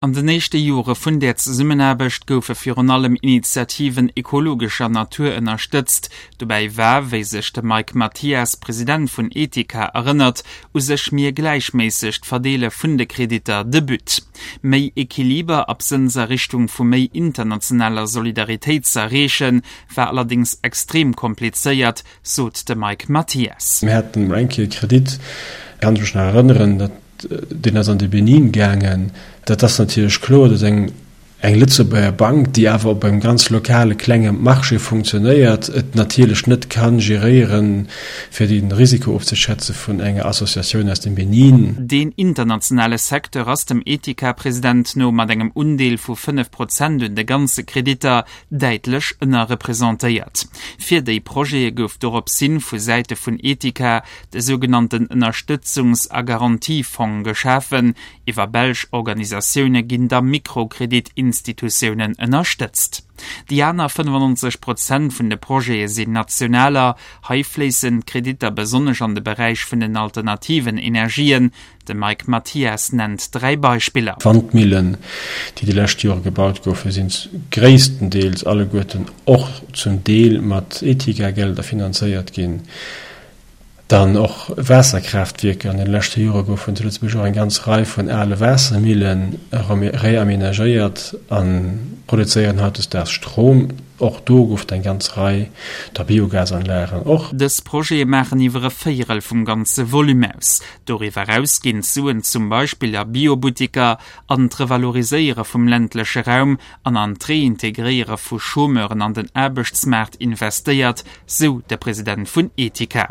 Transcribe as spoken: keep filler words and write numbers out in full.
An den éischte Jore vun där Zesummenaarbecht goufe virun allem Initiativen ekologescher Natur ënnerstëtzt. Dobäi war, wéi sech de Mike Mathias, President vun Etika, erënnert, u sech méi e gläichméissegt Verdeele vun de Kreditter de But. Méi Equiliber absënns a Richtung vu méi internationaler Solidaritéit ze erreechen, war allerdéngs extrem komplizéiert, sot de Mike Mathias. Mir haten eng Kéier e Kredit, kann ech mech nach erënneren, dat deen ass an de Benin gaangen. Dat ass natierlech kloer, datt eng eng Lëtzebuerger Bank, déi awer op engem ganz lokale klenge Marché funktionéiert, et natierlech net ka geréieren, fir de Risiko ofzeschätze vun enger Associatioun aus dem Benin. Deen internationale Secteur ass dem Etika-President no mat engem Undeel vu fënnef Prozent un de ganze Kreditter däitlech ënnerrepresentéiert. Fir déi Projete gouf doropshin vu Säite vun Etika de sougenannten Ënnerstëtzungs a Garantiefong geschafen. Iwwer belsch Organisatioune ginn da Mikrokredit-Institutiounen ënnerstëtzt. Déi aner fënnefannonzeg Prozent vun de Projete sinn nationaler. Hei fléissen d'Kreditter besonnesch an de Beräich vun den alternativen Energien. De Mike Mathias nennt dräi Beispiller. D'Wandmillen, déi déi lescht Jore gebaut goufen, sinn gréisstendeels alleguerten och zum Deel mat Etika-Gelder finanzéiert ginn. Dann och Waasserkraaftwierker. An den leschte Jore goufen zu Lëtzebuerg och eng ganz Rei vun ale Waassermillen reamenagéiert a produzéieren hautdesdaags Strom. Och do gouf et eng ganz Rei, da Biogasanlagen och. Dës Projete maachen iwwer e Véierel vum ganze Volume aus. Doriwwer eraus ginn d'Suen zum Beispill a Biobuttiker, an d'Revaloriséiere vum ländleche Raum an an d'Reintegréiere vu Chômeuren an den Aarbechtsmaart investéiert, sou de President vun Etika.